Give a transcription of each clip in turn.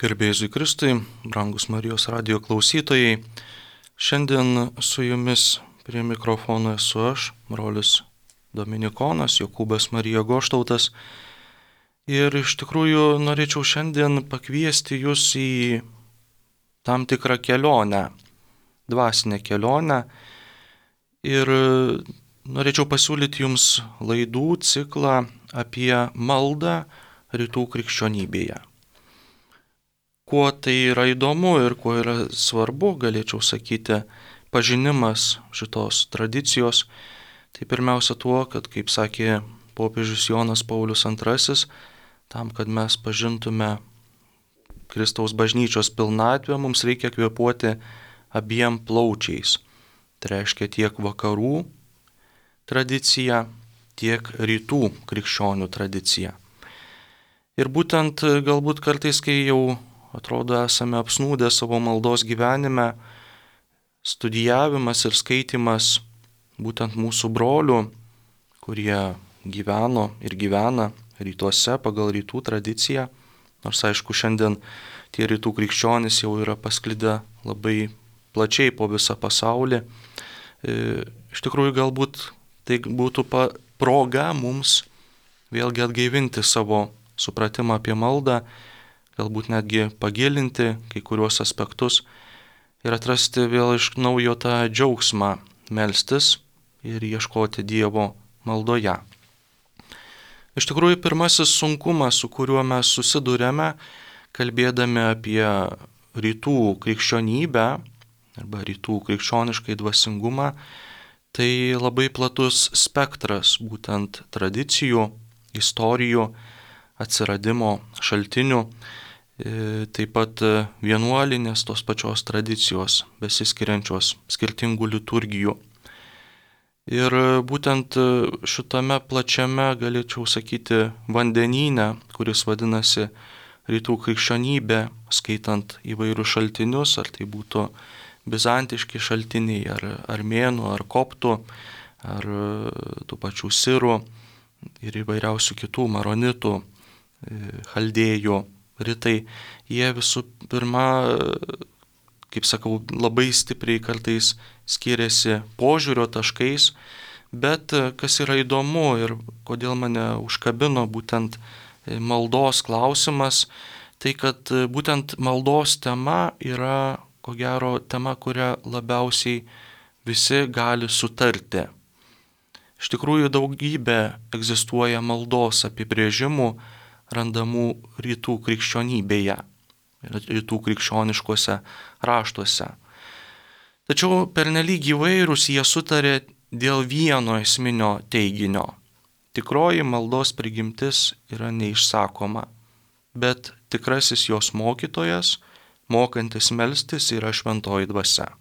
Garbėjui Kristui, brangus Marijos radijo klausytojai, šiandien su jumis prie mikrofono esu aš, brolis Dominikonas, Jokūbas Marija Goštautas. Ir iš tikrųjų norėčiau šiandien pakviesti jūs į tam tikrą kelionę, dvasinę kelionę. Ir norėčiau pasiūlyti jums laidų ciklą apie maldą rytų krikščionybėje. Kuo tai yra įdomu ir kuo yra svarbu, galėčiau sakyti, pažinimas šitos tradicijos, tai pirmiausia tuo, kad, kaip sakė popiežius Jonas Paulius II, tam, kad mes pažintume Kristaus bažnyčios pilnatvę, mums reikia kvėpuoti abiem plaučiais. Tai reiškia tiek vakarų tradiciją, tiek rytų krikščionių tradiciją. Ir būtent galbūt kartais, kai jau atrodo esame apsnūdę savo maldos gyvenime, studijavimas ir skaitimas būtent mūsų brolių, kurie gyveno ir gyvena rytuose pagal rytų tradiciją, nors aišku šiandien tie rytų krikščionys jau yra pasklidę labai plačiai po visą pasaulį. Iš tikrųjų galbūt tai būtų proga mums vėlgi atgaivinti savo supratimą apie maldą, galbūt netgi pagilinti kai kuriuos aspektus ir atrasti vėl iš naujo tą džiaugsmą melstis ir ieškoti Dievo maldoje. Iš tikrųjų, pirmasis sunkumas, su kuriuo mes susidurėme, kalbėdami apie rytų krikščionybę arba rytų krikščioniškai dvasingumą, tai labai platus spektras būtent tradicijų, istorijų, atsiradimo šaltinių, taip pat vienuolinės tos pačios tradicijos, besiskiriančios skirtingų liturgijų. Ir būtent šitame plačiame, galėčiau sakyti, vandenyne, kuris vadinasi rytų krikščionybė, skaitant įvairius šaltinius, ar tai būtų bizantiški šaltiniai, ar armėnų, ar koptų, ar tų pačių sirų ir įvairiausių kitų maronitų, chaldėjų, rytai, jie visų pirma, kaip sakau, labai stipriai kartais skiriasi požiūrio taškais, bet kas yra įdomu ir kodėl mane užkabino būtent maldos klausimas, tai kad būtent maldos tema yra, ko gero, tema, kurią labiausiai visi gali sutarti. Iš tikrųjų, daugybė egzistuoja maldos apibrėžimų, randamų rytų krikščionybėje, rytų krikščioniškuose raštuose. Tačiau pernelyg įvairūs jie sutarė dėl vieno esminio teiginio. Tikroji maldos prigimtis yra neišsakoma, bet tikrasis jos mokytojas, mokantis melstis, yra šventoji dvasia.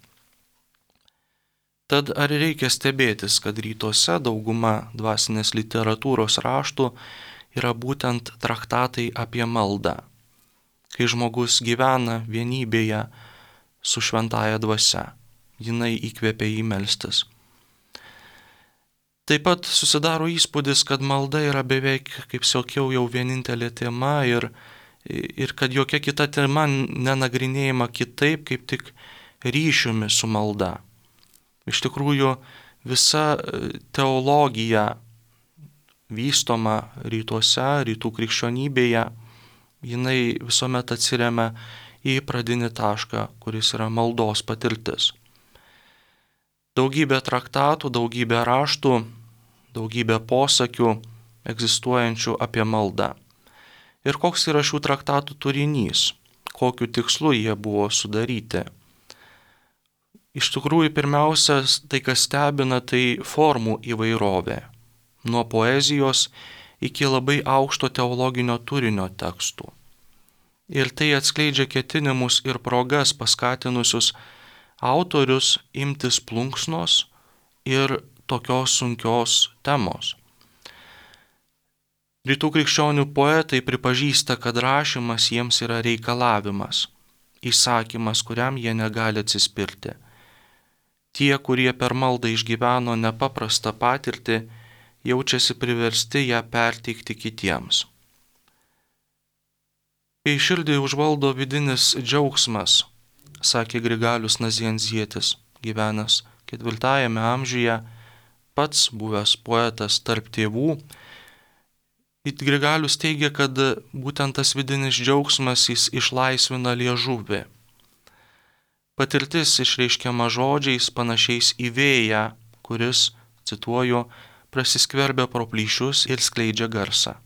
Tad ar reikia stebėtis, kad rytuose dauguma dvasinės literatūros raštų yra būtent traktatai apie maldą, kai žmogus gyvena vienybėje su šventąja dvasia, jinai įkvepia jį melstis. Taip pat susidaro įspūdis, kad malda yra beveik, kaip sakiau, jau vienintelė tema ir kad jokia kita tema nenagrinėjama kitaip, kaip tik ryšiumi su malda. Iš tikrųjų, visa teologija vystoma rytuose, rytų krikščionybėje, jinai visuomet atsiremia į pradinį tašką, kuris yra maldos patirtis. Daugybė traktatų, daugybė raštų, daugybė posakių egzistuojančių apie maldą. Ir koks yra šių traktatų turinys, kokiu tikslu jie buvo sudaryti. Iš tikrųjų, pirmiausia, tai kas stebina, tai formų įvairovė. Nuo poezijos iki labai aukšto teologinio turinio tekstų. Ir tai atskleidžia ketinimus ir progas paskatinusius autorius imtis plunksnos ir tokios sunkios temos. Rytų krikščionių poetai pripažįsta, kad rašymas jiems yra reikalavimas, įsakymas, kuriam jie negali atsispirti. Tie, kurie per maldą išgyveno nepaprastą patirtį, jaučiasi priversti ją perteikti kitiems. Kai širdį užvaldo vidinis džiaugsmas, sakė Grigalius Nazianzietis, gyvenęs 4 amžiuje, pats buvęs poetas tarp tėvų, Grigalius teigia, kad būtent tas vidinis džiaugsmas jis išlaisvina liežuvį. Patirtis išreiškiama žodžiais panašiais į vėją, kuris, cituoju, prasiskverbia pro plyšius ir skleidžia garsą.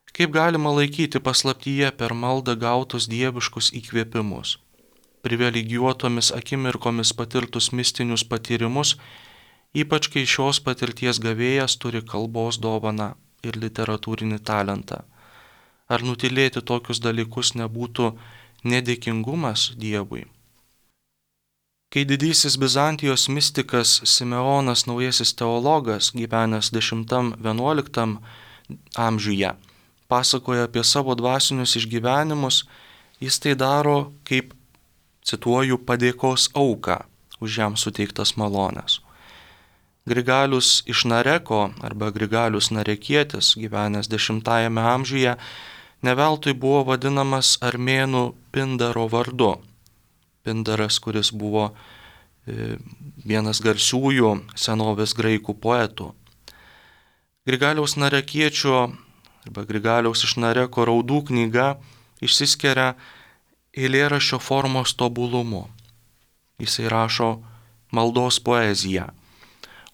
Kaip galima laikyti paslaptyje per maldą gautus dieviškus įkvėpimus, privilegijuotomis akimirkomis patirtus mistinius patyrimus, ypač kai šios patirties gavėjas turi kalbos dovaną ir literatūrinį talentą. Ar nutilėti tokius dalykus nebūtų nedėkingumas Dievui? Kai didysis Bizantijos mistikas Simeonas Naujasis teologas, gyvenęs 10-11 amžiuje, pasakoja apie savo dvasinius išgyvenimus, jis tai daro kaip, cituoju, padėkos auką už jam suteiktas malones. Grigalius iš Nareko arba Grigalius Narekietis, gyvenęs 10 amžiuje, neveltui buvo vadinamas armėnų Pindaro vardu. Pindaras, kuris buvo vienas garsiųjų senovės graikų poetų. Grigaliaus Narekiečio arba Grigaliaus iš Nareko raudų knyga išsiskiria eilėraščio formos tobulumu. Jisai rašo maldos poeziją,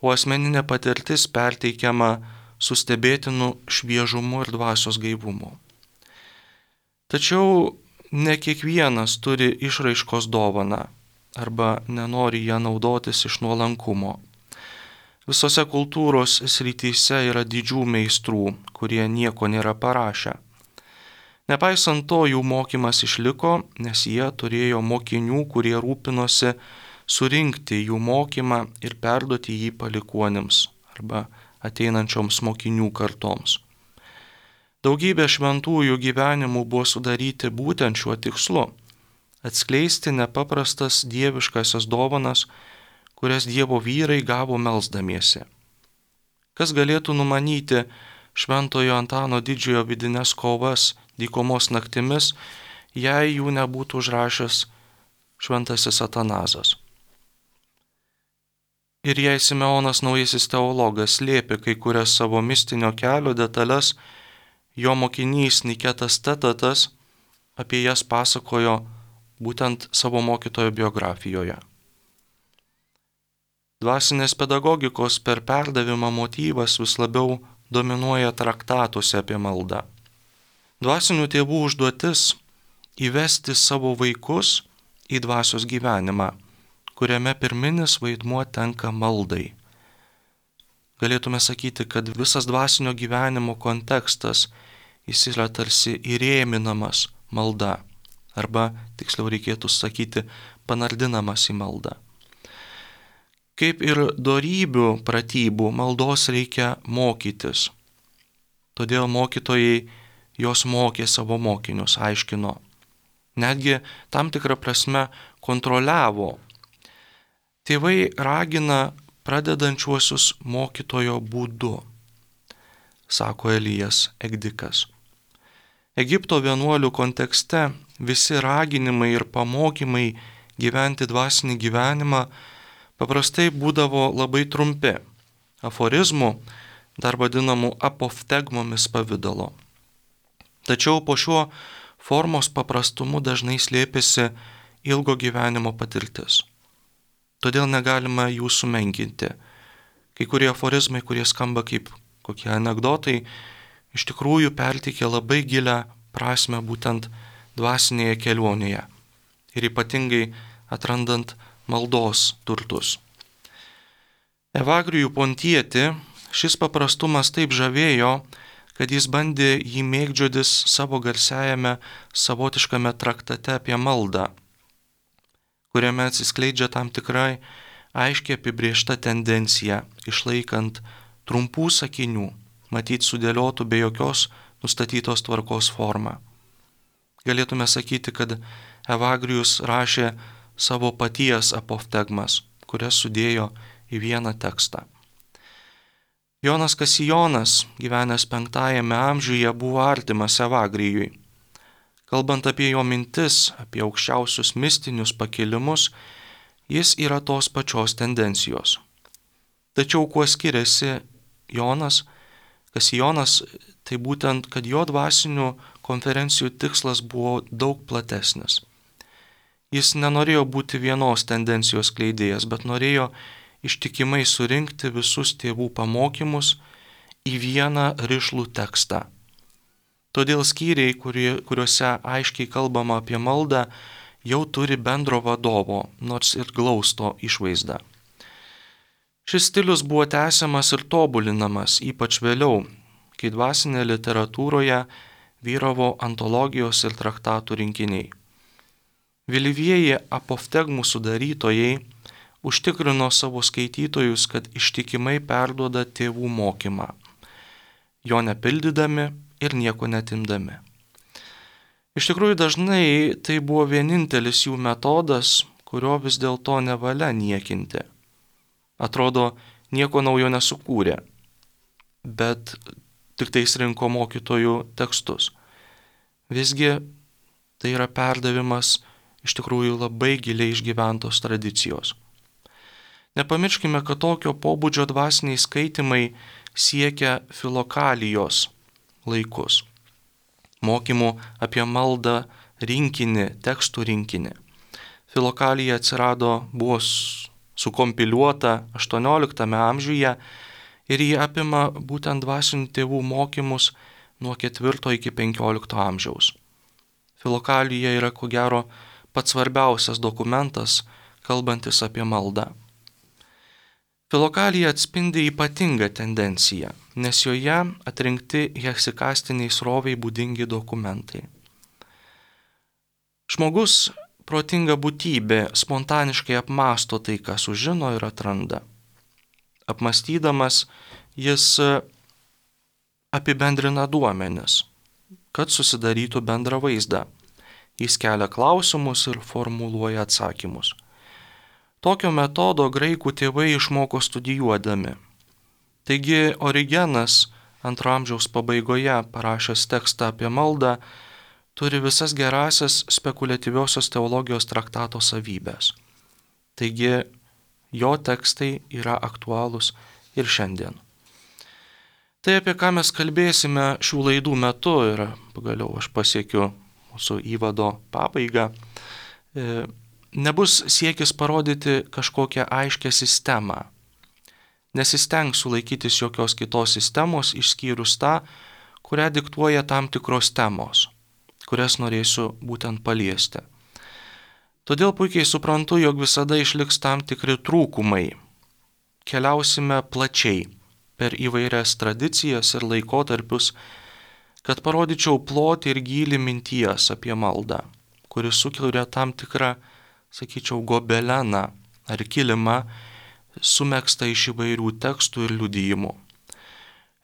o asmeninė patirtis perteikiama su stebėtinu šviežumu ir dvasios gaivumu. Tačiau ne kiekvienas turi išraiškos dovaną arba nenori ją naudotis iš nuolankumo. Visose kultūros srityse yra didžių meistrų, kurie nieko nėra parašę. Nepaisant to, jų mokymas išliko, nes jie turėjo mokinių, kurie rūpinosi surinkti jų mokymą ir perduoti jį palikuonims arba ateinančioms mokinių kartoms. Daugybė šventųjų gyvenimų buvo sudaryti būtent šiuo tikslu – atskleisti nepaprastas dieviškasias dovanas, kurias Dievo vyrai gavo melsdamiesi. Kas galėtų numanyti Šventojo Antano Didžiojo vidines kovas dykumos naktimis, jei jų nebūtų užrašęs šventasis Atanazas. Ir jei Simeonas Naujasis teologas slėpė kai kurias savo mistinio kelio detalės, jo mokinys Niketas Tetatas apie jas pasakojo būtent savo mokytojo biografijoje. Dvasinės pedagogikos per perdavimą motyvas vis labiau dominuoja traktatuose apie maldą. Dvasinių tėvų užduotis – įvesti savo vaikus į dvasios gyvenimą, kuriame pirminis vaidmuo tenka maldai. Galėtume sakyti, kad visas dvasinio gyvenimo kontekstas jis yra tarsi įrėminamas malda, arba, tiksliau reikėtų sakyti, panardinamas į maldą. Kaip ir dorybių pratybų, maldos reikia mokytis. Todėl mokytojai jos mokė savo mokinius, aiškino. Netgi tam tikrą prasme kontroliavo. Tėvai ragina pradedančiuosius mokytojo būdu, sako Elijas Egdikas. Egipto vienuolių kontekste visi raginimai ir pamokymai gyventi dvasinį gyvenimą paprastai būdavo labai trumpi, aforizmų, dar vadinamų apoftegmomis pavidalo. Tačiau po šiuo formos paprastumu dažnai slėpėsi ilgo gyvenimo patirtis. Todėl negalima jų sumenkinti. Kai kurie aforizmai, kurie skamba kaip kokie anekdotai, iš tikrųjų perteikia labai gilią prasme būtent dvasinėje kelionėje ir ypatingai atrandant maldos turtus. Evagrijų Pontietį šis paprastumas taip žavėjo, kad jis bandė jį mėgdžiotis savo garsiajame savotiškame traktate apie maldą, kuriame atsiskleidžia tam tikrai aiškiai apibrėžta tendencija, išlaikant trumpų sakinių, matyt sudėliotų be jokios nustatytos tvarkos formą. Galėtume sakyti, kad Evagrijus rašė savo paties apoftegmas, kurias sudėjo į vieną tekstą. Jonas Kasijonas, gyvenęs 5 amžiuje, buvo artimas Evagrijui. Kalbant apie jo mintis, apie aukščiausius mistinius pakilimus, jis yra tos pačios tendencijos. Tačiau kuo skiriasi Jonas, tai būtent, kad jo dvasinių konferencijų tikslas buvo daug platesnis. Jis nenorėjo būti vienos tendencijos kleidėjas, bet norėjo ištikimai surinkti visus tėvų pamokymus į vieną rišlų tekstą. Todėl skyriai, kuriuose aiškiai kalbama apie maldą, jau turi bendro vadovo, nors ir glausto išvaizdą. Šis stilius buvo tęsiamas ir tobulinamas, ypač vėliau, kai dvasinėje literatūroje vyravo antologijos ir traktatų rinkiniai. Vėlyvieji apoftegmų sudarytojai užtikrino savo skaitytojus, kad ištikimai perduoda tėvų mokymą, jo nepildydami ir nieko netimdami. Iš tikrųjų dažnai tai buvo vienintelis jų metodas, kurio vis dėlto nevalia niekinti. Atrodo, nieko naujo nesukūrė, bet tik tais rinko mokytojų tekstus. Visgi tai yra perdavimas iš tikrųjų labai giliai išgyventos tradicijos. Nepamirškime, kad tokio pobūdžio dvasiniai skaitimai siekia filokalijos laikus. Mokymų apie maldą rinkinį, tekstų rinkinį. Filokalija buvo sukompiliuota 18 amžiuje ir jį apima būtent dvasinių tėvų mokymus nuo 4 iki 15 amžiaus. Filokalija yra ko gero pats svarbiausias dokumentas, kalbantis apie maldą. Filokalija atspindi ypatingą tendenciją, nes joje atrinkti heksikastiniai sroviai būdingi dokumentai. Žmogus, protinga būtybė, spontaniškai apmąsto tai, ką sužino ir atranda. Apmąstydamas, jis apibendrina duomenis, kad susidarytų bendrą vaizdą. Jis kelia klausimus ir formuluoja atsakymus. Tokio metodo graikų tėvai išmoko studijuodami. Taigi Origenas 2 amžiaus pabaigoje parašęs tekstą apie maldą turi visas gerasias spekuliatyviosios teologijos traktato savybės. Taigi jo tekstai yra aktualūs ir šiandien. Tai, apie ką mes kalbėsime šių laidų metu, ir pagaliau aš pasiekiu mūsų įvado pabaigą, nebus siekis parodyti kažkokią aiškę sistemą. Nesistengsiu laikytis jokios kitos sistemos, išskyrus tą, kurią diktuoja tam tikros temos, kurias norėsiu būtent paliesti. Todėl puikiai suprantu, jog visada išliks tam tikri trūkumai. Keliausime plačiai per įvairias tradicijas ir laikotarpius, kad parodyčiau plotį ir gylį minties apie maldą, kuris sukuria tam tikrą, sakyčiau, gobeleną ar kilimą, sumegztą iš įvairių tekstų ir liudijimų.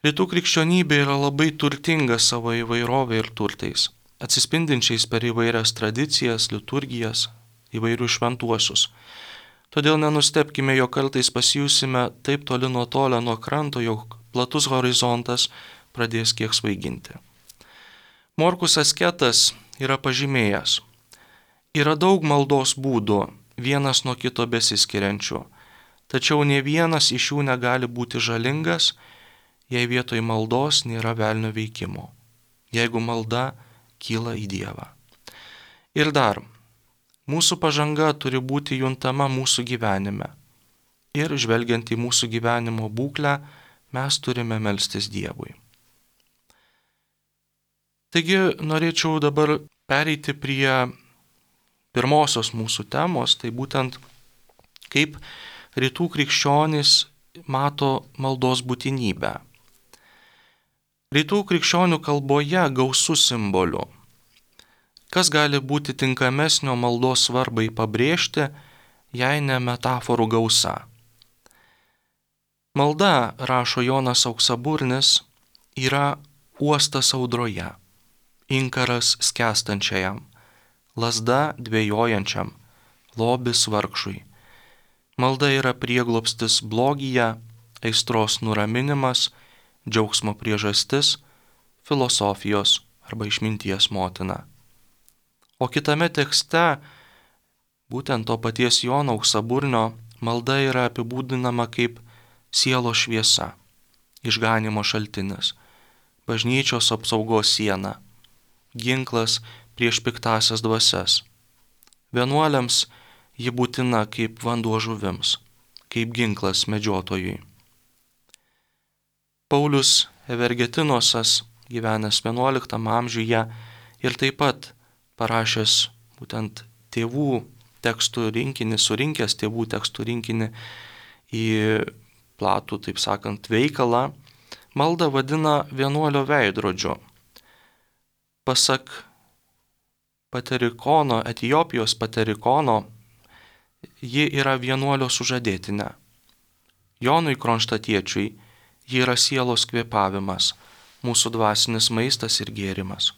Rytų krikščionybė yra labai turtinga savo įvairovė ir turtais, atsispindinčiais per įvairias tradicijas, liturgijas, įvairius šventuosius. Todėl nenustebkime, jog kartais pasijusime taip toli nutolę nuo kranto, jog platus horizontas pradės kiek svaiginti. Morkus Asketas yra pažymėjęs: yra daug maldos būdų, vienas nuo kito besiskiriančių, tačiau nė vienas iš jų negali būti žalingas, jei vietoj maldos nėra velnio veikimo, jeigu malda kyla į Dievą. Ir dar, mūsų pažanga turi būti juntama mūsų gyvenime. Ir žvelgiant į mūsų gyvenimo būklę, mes turime melstis Dievui. Taigi norėčiau dabar pereiti prie pirmosios mūsų temos, tai būtent kaip rytų krikščionys mato maldos būtinybę. Rytų krikščionių kalboje gausu simbolių. Kas gali būti tinkamesnio maldos svarbai pabrėžti, jei ne metaforų gausa? Malda, rašo Jonas Auksaburnis, yra uostas audroje, inkaras skęstančiajam, lazda dvejojančiam, lobis vargšui. Malda yra prieglobstis blogyje, aistros nuraminimas, džiaugsmo priežastis, filosofijos arba išminties motina. O kitame tekste, būtent to paties Jono Auksaburnio, malda yra apibūdinama kaip sielos šviesa, išganimo šaltinis, bažnyčios apsaugos siena, ginklas prieš piktasias dvasias. Vienuoliams ji būtina kaip vanduo žuvims, kaip ginklas medžiotojui. Paulius Evergetinosas, gyvenęs 11 amžiuje ir taip pat parašęs būtent tėvų tekstų rinkinį, surinkęs tėvų tekstų rinkinį į platų, taip sakant, veikalą, maldą vadina vienuolio veidrodžiu. Pasak Paterikono, Etiopijos Paterikono, ji yra vienuolio sužadėtinė. Jonui Kronštatiečiui ji yra sielos kvėpavimas, mūsų dvasinis maistas ir gėrimas.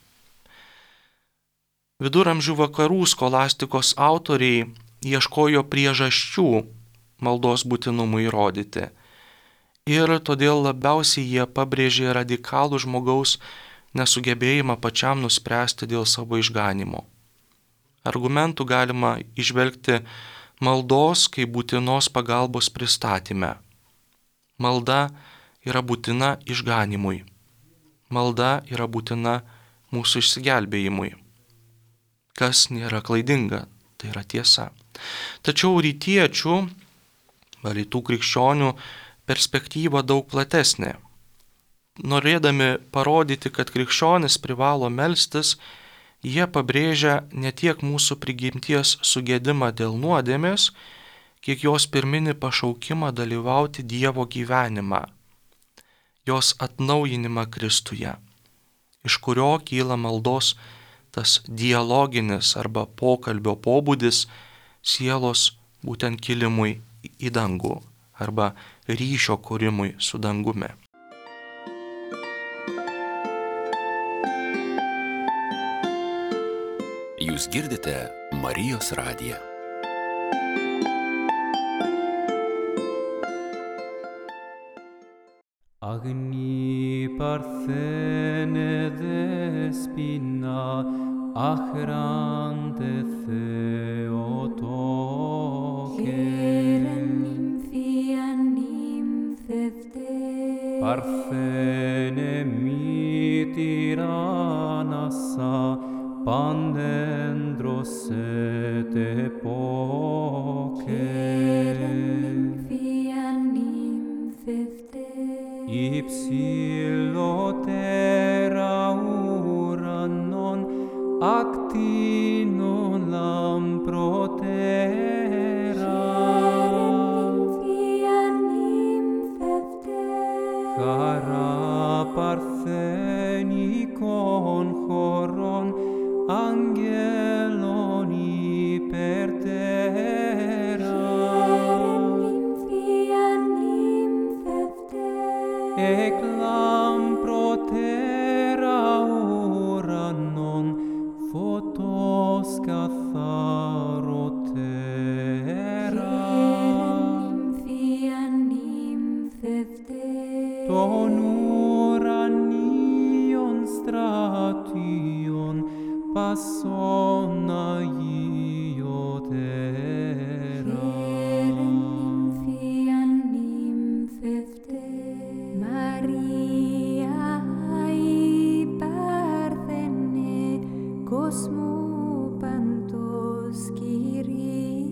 Viduramžių vakarų skolastikos autoriai ieškojo priežasčių maldos būtinumui įrodyti ir todėl labiausiai jie pabrėžė radikalų žmogaus nesugebėjimą pačiam nuspręsti dėl savo išganimo. Argumentų galima įžvelgti maldos kaip būtinos pagalbos pristatyme. Malda yra būtina išganimui. Malda yra būtina mūsų išsigelbėjimui. Kas nėra klaidinga, tai yra tiesa. Tačiau rytiečių, rytų krikščionių perspektyva daug platesnė. Norėdami parodyti, kad krikščionis privalo melstis, jie pabrėžia ne tiek mūsų prigimties sugedimą dėl nuodėmės, kiek jos pirminį pašaukimą dalyvauti Dievo gyvenimą, jos atnaujinimą Kristuje, iš kurio kyla maldos tas dialoginis arba pokalbio pobūdis sielos būtent kilimui į dangų arba ryšio kūrimui su dangumi. Jūs girdite Marijos radiją. Agni parthene despina, achrante Theotoke. Parthene mitiranassa, pandendros et epoke. Ipsilotera uranon actino lamprotera. Chara parthenikon choron angelon hypertera. Eclam protera uranon photos katharotera. Ton uranion stration passona iotera. Cosmo pantos Kyrie.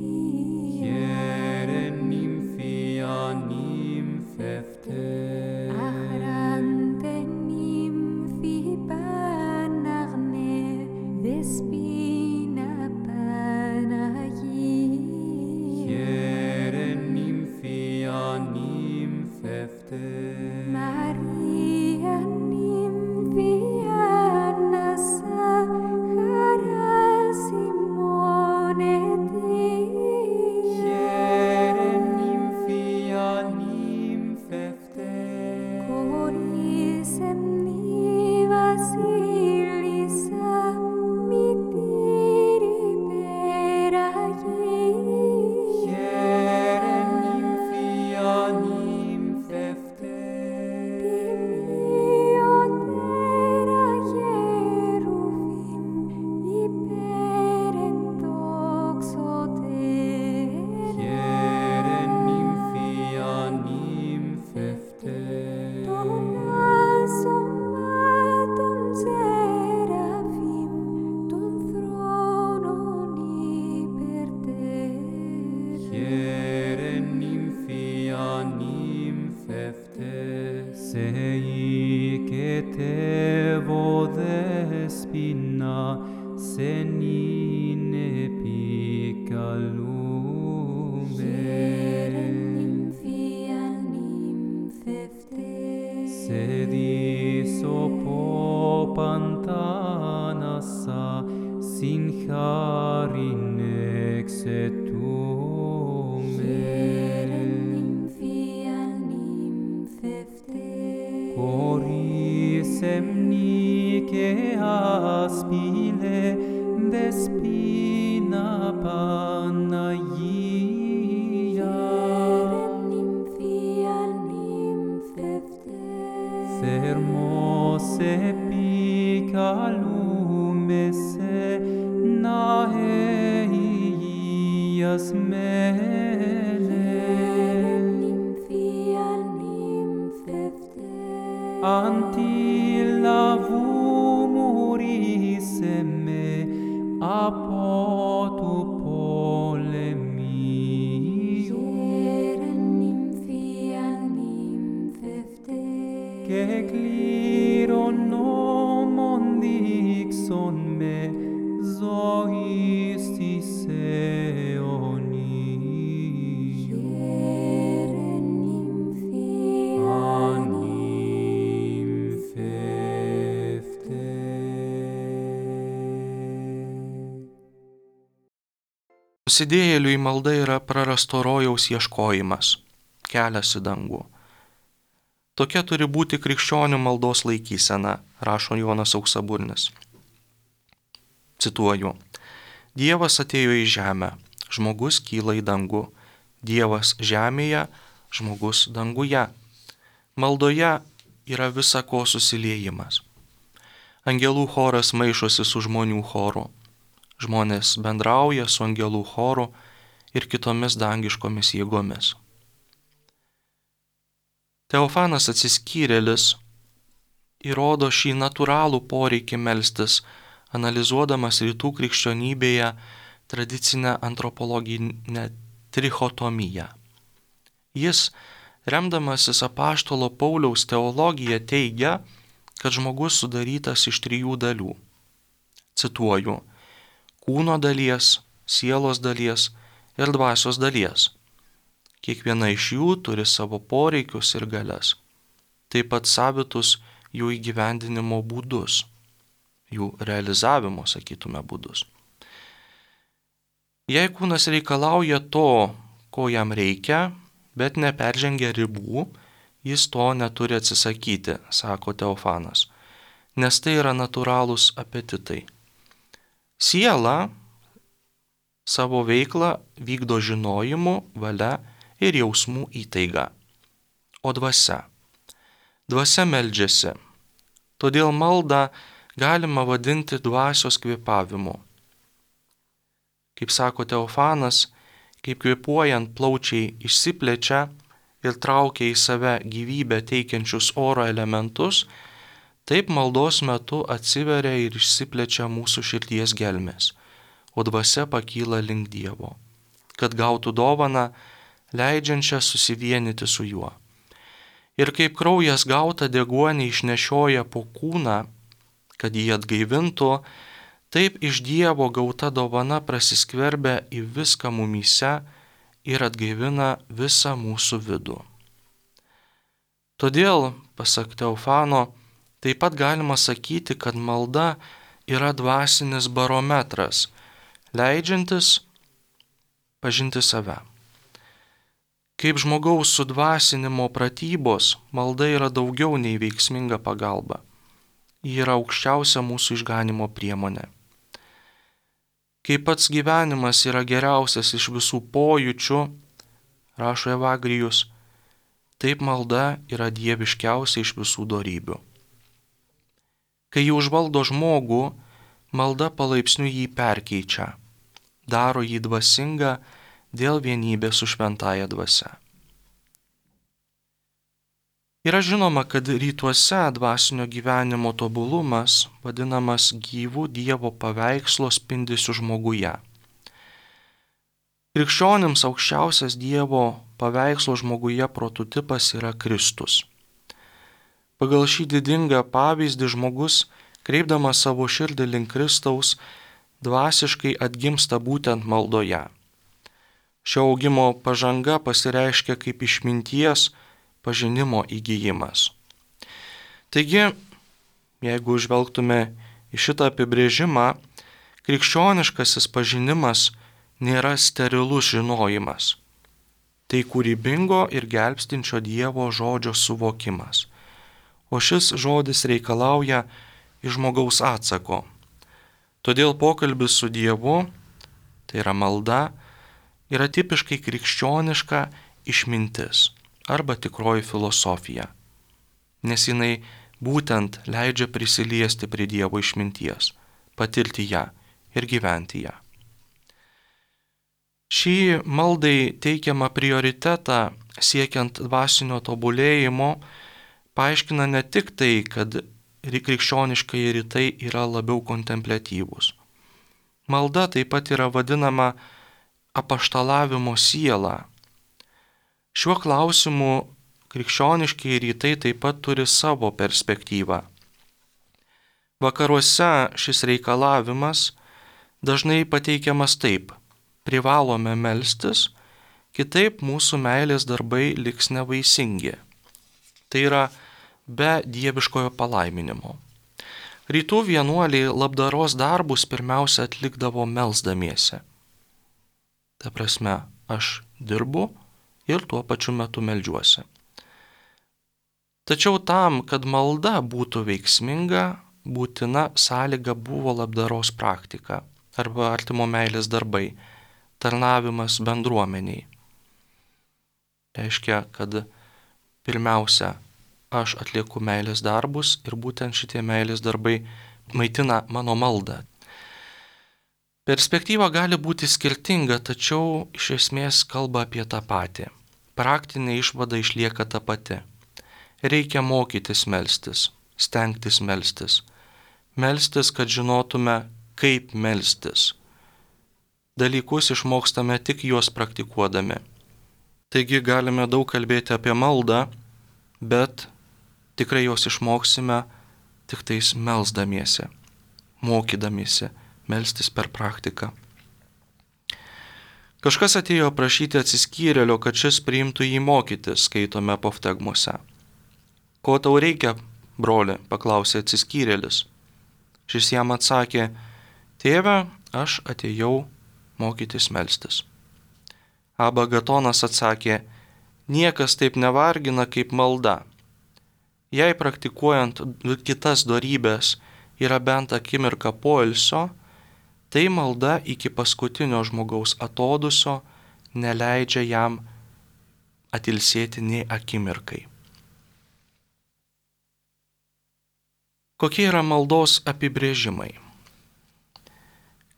Hiere nymphia nymphefte. Achrante nymphi panarne, Vespina senine Jerenim picalube fianim fefte. sedis opo pantanassa sincharin exetume Jerenim fianim fefte. Coris emnice aspile despina Panagia Jerenim fianim fefte. Thermos epicalume se naeias mele Jerenim fianim fefte. Antilavumuris me apotu polemio Jerenim fianim fefte. que cliron nomon dixon me zoistis eoni Jerenim anim fefte. Nusidėjėliui malda yra prarasto rojaus ieškojimas, kelias į dangų. Tokia turi būti krikščionių maldos laikysena, rašo Jonas Auksaburnis. Cituoju. Dievas atėjo į žemę, žmogus kyla į dangų. Dievas žemėje, žmogus danguje. Maldoje yra visa ko susiliejimas. Angelų choras maišosi su žmonių choru. Žmonės bendrauja su angelų choru ir kitomis dangiškomis jėgomis. Teofanas Atsiskyrėlis įrodo šį natūralų poreikį melstis, analizuodamas rytų krikščionybėje tradicinę antropologinę trichotomiją. Jis, remdamasis apaštalo Pauliaus teologija, teigia, kad žmogus sudarytas iš 3 dalių. Cituoju, kūno dalies, sielos dalies ir dvasios dalies. Kiekviena iš jų turi savo poreikius ir galias, taip pat savitus jų įgyvendinimo būdus, jų realizavimo, sakytume, būdus. Jei kūnas reikalauja to, ko jam reikia, bet neperžengia ribų, jis to neturi atsisakyti, sako Teofanas, nes tai yra natūralūs apetitai. Siela savo veiklą vykdo žinojimu, valia ir jausmų įtaiga. O dvasia meldžiasi. Todėl maldą galima vadinti dvasios kvėpavimu. Kaip sako Teofanas, kaip kvėpuojant plaučiai išsiplečia ir traukia į save gyvybę teikiančius oro elementus, taip maldos metu atsiveria ir išsiplečia mūsų širdies gelmės, o dvasia pakyla link Dievo, kad gautų dovaną, leidžiančią susivienyti su juo. Ir kaip kraujas gautą deguonį išnešioja po kūną, kad jį atgaivintų, taip iš Dievo gauta dovana prasiskverbia į viską mumyse ir atgaivina visą mūsų vidų. Todėl, pasak Teofano, taip pat galima sakyti, kad malda yra dvasinis barometras, leidžiantis pažinti save. Kaip žmogaus sudvasinimo pratybos, malda yra daugiau nei veiksminga pagalba. Ji yra aukščiausia mūsų išganimo priemonė. Kaip pats gyvenimas yra geriausias iš visų pojūčių, rašo Evagrijus, taip malda yra dieviškiausia iš visų dorybių. Kai ji užvaldo žmogų, malda palaipsniui jį perkeičia, daro jį dvasingą dėl vienybės su šventąja dvasia. Yra žinoma, kad rytuose dvasinio gyvenimo tobulumas vadinamas gyvų Dievo paveikslo spindesiu žmoguje. Krikščionims aukščiausias Dievo paveikslo žmoguje prototipas yra Kristus. Pagal šį didingą pavyzdį žmogus, kreipdamas savo širdį link Kristaus, dvasiškai atgimsta būtent maldoje. Šio augimo pažanga pasireiškia kaip išminties pažinimo įgijimas. Taigi, jeigu žvelgtume į šitą apibrėžimą, krikščioniškasis pažinimas nėra sterilus žinojimas. Tai kūrybingo ir gelbstinčio Dievo žodžio suvokimas. O šis žodis reikalauja iš žmogaus atsako. Todėl pokalbis su Dievu, tai yra malda, yra tipiškai krikščioniška išmintis arba tikroji filosofija, nes jinai būtent leidžia prisiliesti prie Dievo išminties, patirti ją ir gyventi ją. Šį maldai teikiamą prioritetą siekiant dvasinio tobulėjimo paaiškina ne tik tai, kad krikščioniškai rytai yra labiau kontempliatyvūs. Malda taip pat yra vadinama apaštalavimo siela. Šiuo klausimu krikščioniški rytai taip pat turi savo perspektyvą. Vakaruose šis reikalavimas dažnai pateikiamas taip: privalome melstis, kitaip mūsų meilės darbai liks nevaisingi. Tai yra be dieviškojo palaiminimo. Rytų vienuoliai labdaros darbus pirmiausia atlikdavo melsdamiesi. Ta prasme, aš dirbu ir tuo pačiu metu meldžiuosi. Tačiau tam, kad malda būtų veiksminga, būtina sąlyga buvo labdaros praktika arba artimo meilės darbai, tarnavimas bendruomeniai. Reiškia, kad pirmiausia, aš atlieku meilės darbus ir būtent šitie meilės darbai maitina mano maldą. Perspektyva gali būti skirtinga, tačiau iš esmės kalba apie tą patį. Praktinė išvada išlieka ta pati. Reikia mokytis melstis, stengtis melstis. Melstis, kad žinotume, kaip melstis. Dalykus išmokstame tik juos praktikuodami. Taigi galime daug kalbėti apie maldą, bet tikrai jos išmoksime tik tais melsdamiesi, mokydamiesi melstis per praktiką. Kažkas atėjo prašyti atsiskyrėlio, kad šis priimtų jį mokytis, skaitome Poftegmose. Ko tau reikia, broli, paklausė atsiskyrėlis. Šis jam atsakė: tėve, aš atėjau mokytis melstis. Aba Gatonas atsakė: niekas taip nevargina kaip malda. Jei praktikuojant kitas dorybės yra bent akimirka poilsio, tai malda iki paskutinio žmogaus atodusio neleidžia jam atilsėti nei akimirkai. Kokie yra maldos apibrėžimai?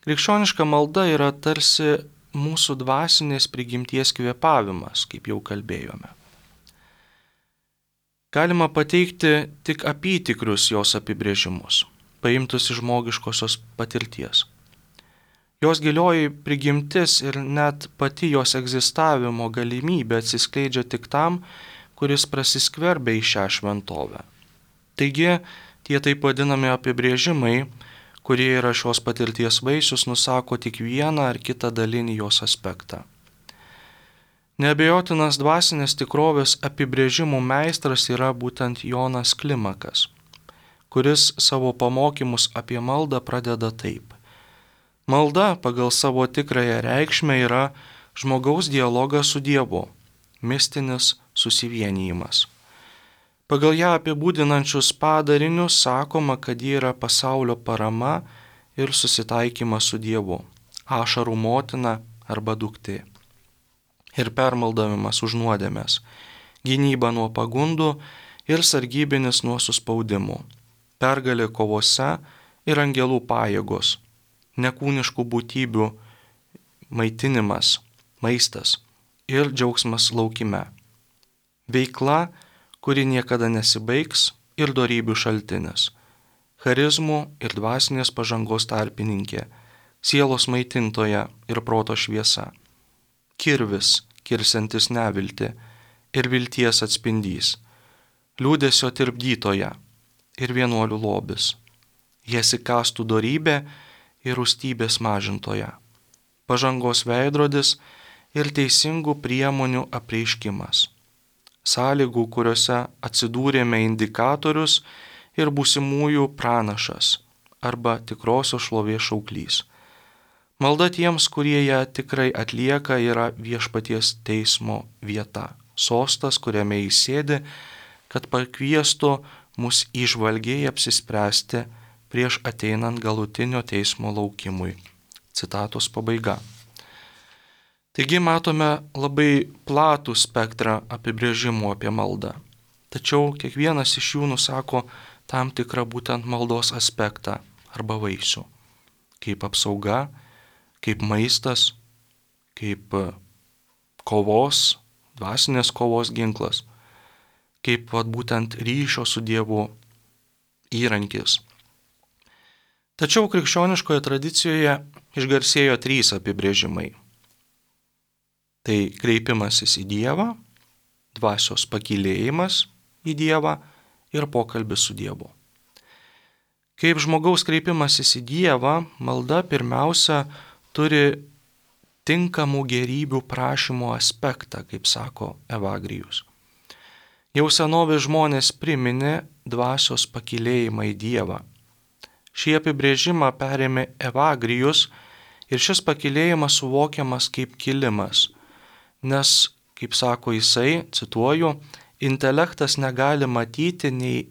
Krikščioniška malda yra tarsi mūsų dvasinės prigimties kvėpavimas, kaip jau kalbėjome. Galima pateikti tik apytikrius jos apibrėžimus, paimtus iš žmogiškosios patirties. Jos gilioji prigimtis ir net pati jos egzistavimo galimybė atsiskleidžia tik tam, kuris prasiskverbia į šią šventovę. Taigi, tie taip vadinami apibrėžimai, kurie yra šios patirties vaisius, nusako tik vieną ar kitą dalinį jos aspektą. Neabejotinas dvasinės tikrovės apibrėžimų meistras yra būtent Jonas Klimakas, kuris savo pamokymus apie maldą pradeda taip. Malda pagal savo tikrąją reikšmę yra žmogaus dialogas su Dievu, mistinis susivienijimas. Pagal ją apibūdinančius padarinius sakoma, kad ji yra pasaulio parama ir susitaikymas su Dievu, ašarų motina arba duktė. Ir permaldavimas už nuodėmes, gynyba nuo pagundų ir sargybinis nuo suspaudimų, pergalė kovose ir angelų pajėgos, nekūniškų būtybių maitinimas, maistas ir džiaugsmas laukime. Veikla, kuri niekada nesibaigs ir dorybių šaltinis, charizmų ir dvasinės pažangos tarpininkė, sielos maitintoja ir proto šviesa. Kirvis, kirsantis neviltį ir vilties atspindys, liūdesio tirpdytoja ir vienuolių lobis, jas įkastų dorybė ir rūstybės mažintoja, pažangos veidrodis ir teisingų priemonių apreiškimas, sąlygų, kuriuose atsidūrėme indikatorius ir būsimųjų pranašas arba tikrosios šlovės šauklys. Malda tiems, kurie ją tikrai atlieka, yra viešpaties teismo vieta, sostas, kuriame jis sėdi, kad pakviestų mus įžvalgiai apsispręsti prieš ateinant galutinio teismo laukimui. Citatos pabaiga. Taigi matome labai platų spektrą apibrėžimų apie maldą. Tačiau kiekvienas iš jų nusako tam tikrą būtent maldos aspektą arba vaisių. Kaip apsauga, kaip maistas, kaip kovos, dvasinės kovos ginklas, kaip būtent ryšio su Dievu įrankis. Tačiau krikščioniškoje tradicijoje išgarsėjo 3 apibrėžimai. Tai kreipimasis į Dievą, dvasios pakylėjimas į Dievą ir pokalbis su Dievu. Kaip žmogaus kreipimasis į Dievą, malda pirmiausia turi tinkamų gerybių prašymo aspektą, kaip sako Evagrijus. Jau senovės žmonės priminė dvasios pakylėjimą į Dievą. Šį apibrėžimą perėmė Evagrijus ir šis pakylėjimas suvokiamas kaip kilimas, nes, kaip sako jisai, cituoju, intelektas negali matyti, nei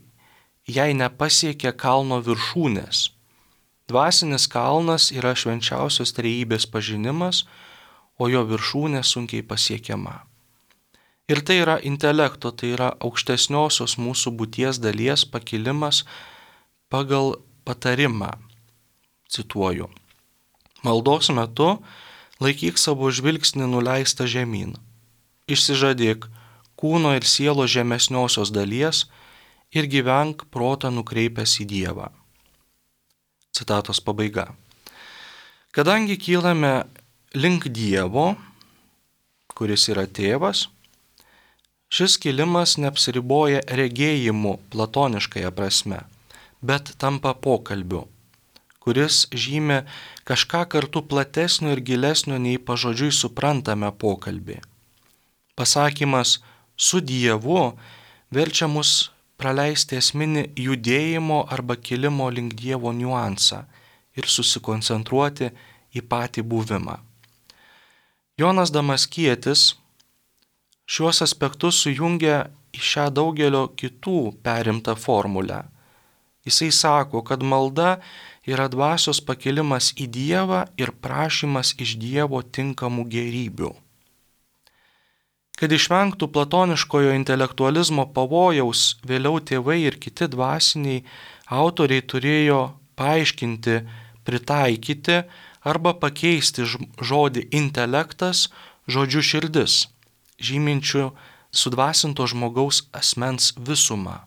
jei nepasiekia kalno viršūnės. Dvasinis kalnas yra švenčiausios trejybės pažinimas, o jo viršūnė sunkiai pasiekiama. Ir tai yra intelekto, tai yra aukštesniosios mūsų būties dalies pakilimas pagal patarimą. Cituoju. Maldos metu laikyk savo žvilgsnį nuleistą žemyn. Išsižadėk kūno ir sielos žemesniosios dalies ir gyvenk protą nukreipęs į Dievą. Citatos pabaiga. Kadangi kylame link Dievo, kuris yra tėvas, šis kilimas neapsiriboja regėjimu platoniškąja prasme, bet tampa pokalbiu, kuris žymi kažką kartu platesnio ir gilesnio nei pažodžiui suprantame pokalbį. Pasakymas su Dievu verčia mus praleisti esminį judėjimo arba kilimo link Dievo niuansą ir susikoncentruoti į patį buvimą. Jonas Damaskietis šiuos aspektus sujungia į šią daugelio kitų perimtą formulę. Jisai sako, kad malda yra dvasios pakilimas į Dievą ir prašymas iš Dievo tinkamų gerybių. Kad išvengtų platoniškojo intelektualizmo pavojaus, vėliau tėvai ir kiti dvasiniai autoriai turėjo paaiškinti, pritaikyti arba pakeisti žodį intelektas žodžiu širdis, žyminčių sudvasinto žmogaus asmens visumą.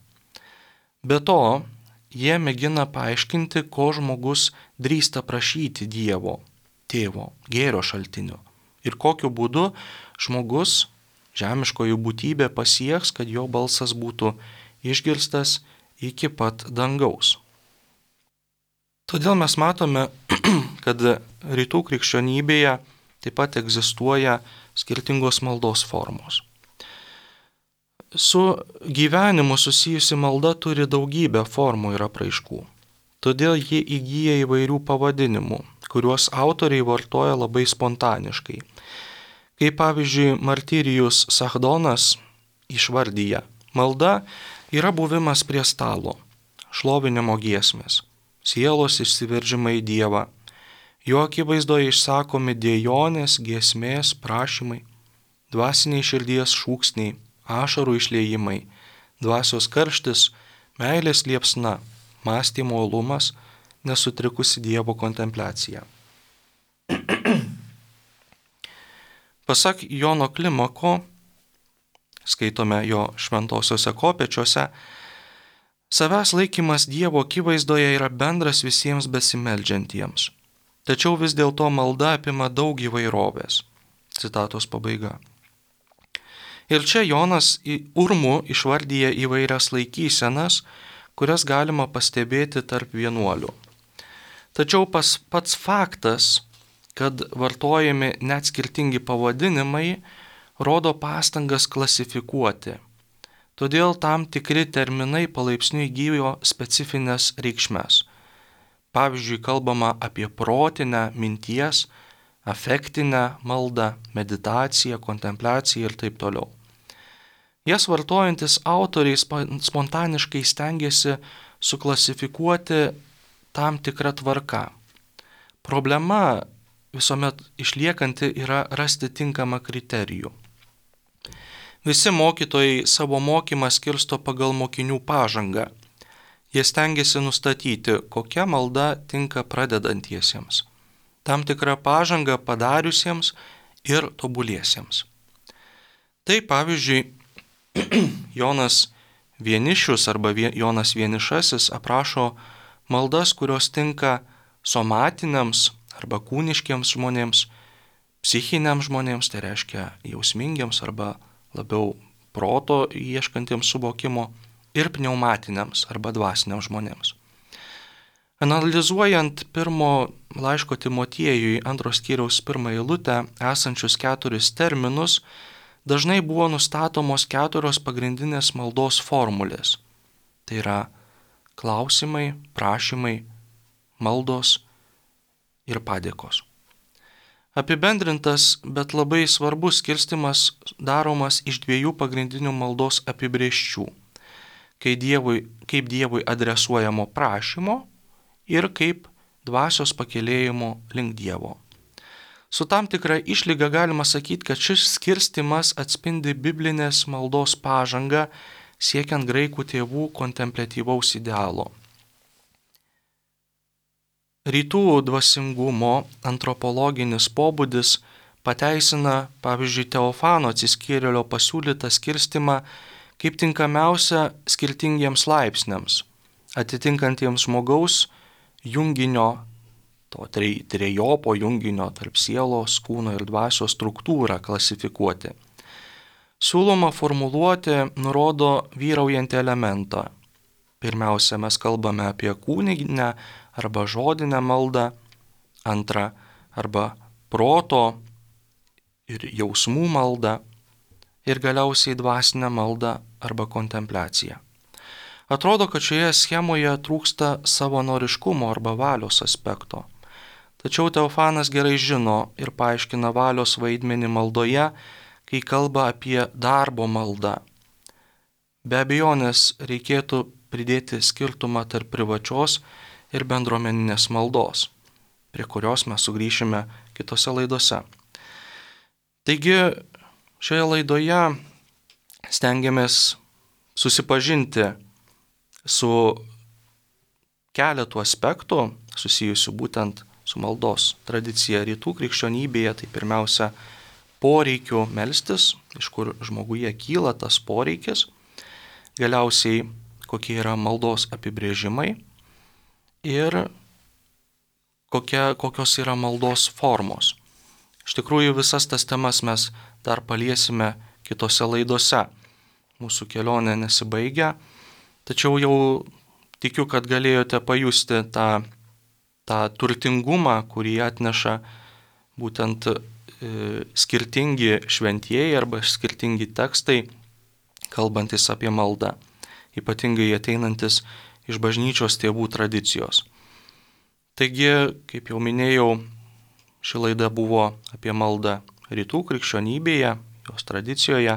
Be to, jie mėgina paaiškinti, ko žmogus drįsta prašyti Dievo, tėvo, gėrio šaltinio ir kokiu būdu žmogus, žemiškoji būtybė pasieks, kad jo balsas būtų išgirstas iki pat dangaus. Todėl mes matome, kad rytų krikščionybėje taip pat egzistuoja skirtingos maldos formos. Su gyvenimu susijusi malda turi daugybę formų ir apraiškų. Todėl ji įgyja įvairių pavadinimų, kuriuos autoriai vartoja labai spontaniškai. Kaip pavyzdžiui, Martyrijus Sachdonas išvardyja, malda yra buvimas prie stalo, šlovinimo giesmės, sielos išsiveržimai į Dievą, jo akivaizdoje išsakomi dėjonės, giesmės, prašymai, dvasiniai širdies šūksniai, ašarų išliejimai, dvasios karštis, meilės liepsna, mąstymo uolumas, nesutrikusi Dievo kontempliacija. Pasak Jono Klimako, skaitome jo šventosiuose kopėčiuose, savęs laikymas Dievo akivaizdoje yra bendras visiems besimeldžiantiems. Tačiau vis dėlto malda apima daug įvairovės. Citatos pabaiga. Ir čia Jonas urmu išvardyja įvairias laikysenas, kurias galima pastebėti tarp vienuolių. Tačiau pats faktas, kad vartojami net skirtingi pavadinimai, rodo pastangas klasifikuoti. Todėl tam tikri terminai palaipsniui įgyjo specifines reikšmes. Pavyzdžiui, kalbama apie protinę, minties, afektinę maldą, meditaciją, kontempliaciją ir taip toliau. Jas vartojantis autoriai spontaniškai stengiasi suklasifikuoti tam tikrą tvarką. Problema visuomet išliekanti yra rasti tinkamą kriterijų. Visi mokytojai savo mokymą skirsto pagal mokinių pažangą. Jie stengiasi nustatyti, kokia malda tinka pradedantiesiems, tam tikrą pažangą padariusiems ir tobuliesiems. Tai pavyzdžiui, Jonas Vienišius arba Jonas Vienišasis aprašo maldas, kurios tinka somatiniams arba kūniškiams žmonėms, psichiniams žmonėms, tai reiškia jausmingiams arba labiau proto ieškantiems suvokimo, ir pneumatiniams arba dvasiniams žmonėms. Analizuojant pirmo laiško Timotiejui 2 skyriaus 1 eilutę esančius 4 terminus, dažnai buvo nustatomos 4 pagrindinės maldos formulės. Tai yra klausimai, prašymai, maldos ir padėkos. Apibendrintas, bet labai svarbus skirstimas daromas iš 2 pagrindinių maldos apibrėžčių. Kaip Dievui adresuojamo prašymo ir kaip dvasios pakėlėjimo link Dievo. Su tam tikra išlyga galima sakyti, kad šis skirstimas atspindi biblinės maldos pažangą siekiant graikų tėvų kontempliatyvaus idealo. Rytų dvasingumo antropologinis pobūdis pateisina, pavyzdžiui, Teofano atsiskyrėlio pasiūlytą skirstimą kaip tinkamiausia skirtingiems laipsniams, atitinkantiems žmogaus junginio, to trejopo junginio tarp sielos, kūno ir dvasios struktūrą klasifikuoti. Siūloma formuluoti nurodo vyraujantį elementą. Pirmiausia, mes kalbame apie kūninę arba žodinę maldą, antrą arba proto ir jausmų maldą ir galiausiai dvasinę maldą arba kontempliaciją. Atrodo, kad šioje schemoje trūksta savanoriškumo arba valios aspekto. Tačiau Teofanas gerai žino ir paaiškina valios vaidmenį maldoje, kai kalba apie darbo maldą. Be abejonės reikėtų pridėti skirtumą tarp privačios ir bendruomeninės maldos, prie kurios mes sugrįšime kitose laidose. Taigi, šioje laidoje stengiamės susipažinti su keletu aspektų susijusių būtent su maldos tradicija rytų krikščionybėje, tai pirmiausia poreikių melstis, iš kur žmoguje kyla tas poreikis, galiausiai kokie yra maldos apibrėžimai ir kokios yra maldos formos. Iš tikrųjų visas tas temas mes dar paliesime kitose laidose. Mūsų kelionė nesibaigia, tačiau jau tikiu, kad galėjote pajusti tą turtingumą, kurį atneša būtent skirtingi šventieji arba skirtingi tekstai, kalbantis apie maldą, ypatingai ateinantis iš bažnyčios tėvų tradicijos. Taigi, kaip jau minėjau, ši laida buvo apie maldą rytų krikščionybėje, jos tradicijoje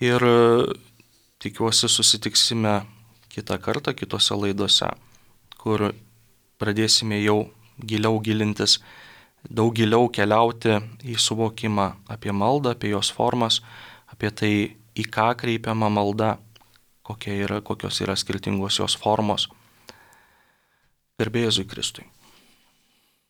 ir tikiuosi susitiksime kitą kartą kitose laidose, kur pradėsime jau giliau gilintis, daug giliau keliauti į suvokimą apie maldą, apie jos formas, apie tai, į ką kreipiama malda, kokios yra skirtingos jos formos. Garbė Jėzui Kristui.